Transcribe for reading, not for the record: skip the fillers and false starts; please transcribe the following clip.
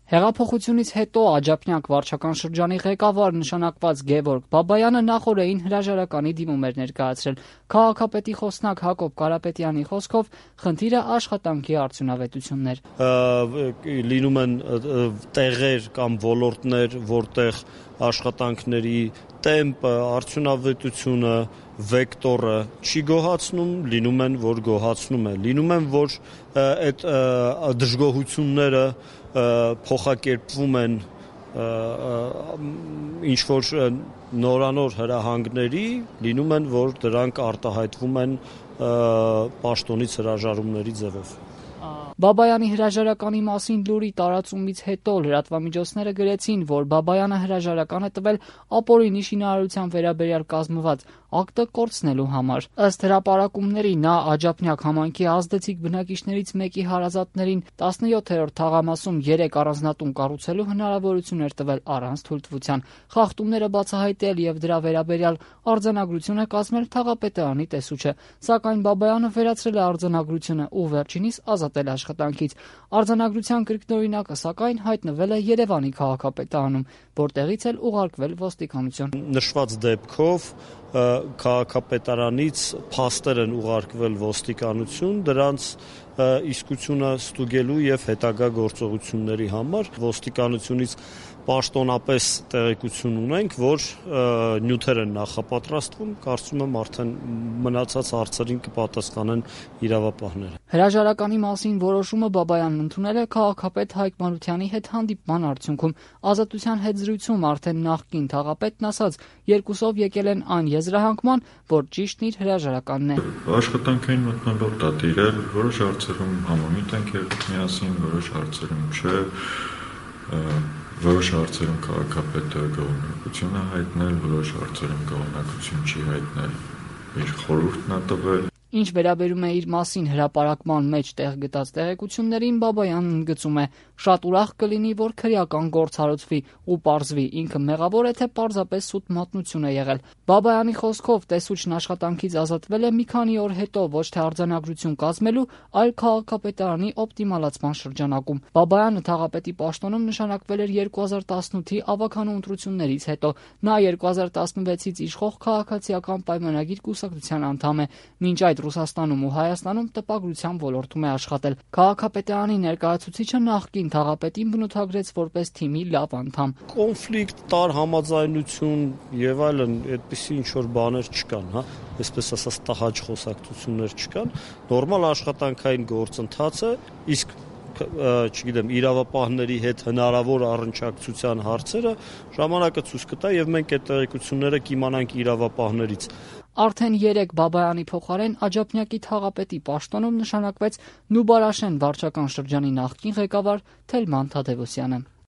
Հեղափոխությունից հետո Աջափնյակ վարչական շրջանի ղեկավար նշանակված Գևորգ Բաբայանը նախօրեին հրաժարականի դիմում էր ներկայացրել։ Քաղաքապետի խոսնակ Հակոբ Կարապետյանի խոսքով խնդիրը աշխատանքի արդյունավետությունն էր։ Լինում են տեղեր կամ ոլորտներ, որտեղ աշխատանքների տեմպը, արդյունավետությունը, վեկտորը չի գոհացնում, լինում են, որ գոհացնում է, լինում են, որ այդ դժգոհությունները փոխակերպվում են ինչ-որ նորանոր հրահանգների, լինում են, որ դրանք արտահայտվում են պաշտոնից հրաժարումների ձևով։ Բաբայանի հրաժարականի մասին լուրի տարածումից հետո լրատվամիջոցները գրեցին, որ Բաբայանը հրաժարական է տվել ապօրինի շինարարության վերաբերյալ կազմված ակտը կորցնելու համար։ Ըստ հրապարակումների նա Աջափնյակ համայնքի ազդեցիկ բնակիչներից մեկի հարազատներին 17-րդ թաղամասում 3 առանձնատուն կառուցելու հնարավորություն էր տվել առանց թույլտվության։ Խախտումները բացահայտել եւ դրա վերաբերյալ արձանագրություն է կազմել թաղապետարանի տեսուչը, սակայն Բաբայանը վերացրել է արձանագրությունը ու վերջինիս ազատել աշխատանքից։ Արձանագրության կրկնօրինակը սակայն հայտնվել է Երևանի քաղաքապետարանում, որտեղից էլ ուղարկվել ոստիկանություն։ Նշված դեպքով քաղաքապետարանից փաստեր են ուղարկվել ոստիկանություն, դրանց իսկությունը ստուգելու եւ հետագա գործողությունների համար ոստիկանությունից պաշտոնապես տեղեկություն ունենք, որ նյութեր են նախապատրաստվում, կարծում եմ արդեն մնացած հարցերին կպատասխանեն իրավապահները։ Հրաժարականի մասին որոշումը Բաբայանն ընդունել է քաղաքապետ Հայկ Մանուկյանի հետ հանդիպման արդյունքում։ Ազատության հետ զրույցում արդեն նախկին թաղապետն ասաց, երկուսով եկել են այն եզրահանգման, որ ճիշտն իր հրաժարականն է։ Աշխատանքային մթնոլորտ է տիրել, որոշ հարցերում համամիտ ենք եղել միասին, որոշ հարցերում չէ, որոշ հարցերում քաղաքապետը գոհունակություն է հայտնել, որոշ հարցերում գոհունակություն չի հայտնել, իր խորհուրդն է տվել։ Ինչ վերաբերում է իր մասին հրապարակման մեջ տեղ գտած տեղեկություններին, Բաբայանն ընդգծում է. շատ ուրախ կլինի, որ քրեական գործ հարուցվի ու պարզվի ինքը մեղավոր է, թե պարզապես սուտ մատնություն է եղել։ Բաբայանի խոսքով տեսուչն աշխատանքից ազատվել է մի քանի օր հետո ոչ թե արձանագրություն կազմելու, այլ քաղաքապետարանի օպտիմալացման շրջանակում։ Բաբայանը թաղապետի պաշտոնում նշանակվել էր 2018-ի ավագանու ընտրություններից հետո։ Նա 2016-ից իշխող քաղաքացիական պայմանագիր կուսակցության անդամ է։ Մինչ այդ Ռուսաստանում ու Հայաստանում տպագրության ոլորտում է աշխատել։ Քաղաքապետարանի ներկայացուցիչը նախկին թաղապետին բնութագրեց որպես թիմի լավ անդամ։ Կոնֆլիկտ, տար համաձայնություն եւ այլն, այդպիսի ինչ-որ բաներ չկան, հա, այսպես ասած տհաճ խոսակցություններ չկան, նորմալ աշխատանքային գործընթաց է, իսկ չգիտեմ, իրավապահների հետ հնարավոր առնչակցության հարցերը ժամանակը ցույց կտա եւ մենք այդ տեղեկությունները կիմանանք իրավապահներից։ Արդեն 3 Բաբայանի փոխարեն Աջափնյակի թաղապետի պաշտոնում նշանակվեց Նուբարաշեն վարչական շրջանի նախկին ղեկավար Թելման Թադևոսյանը։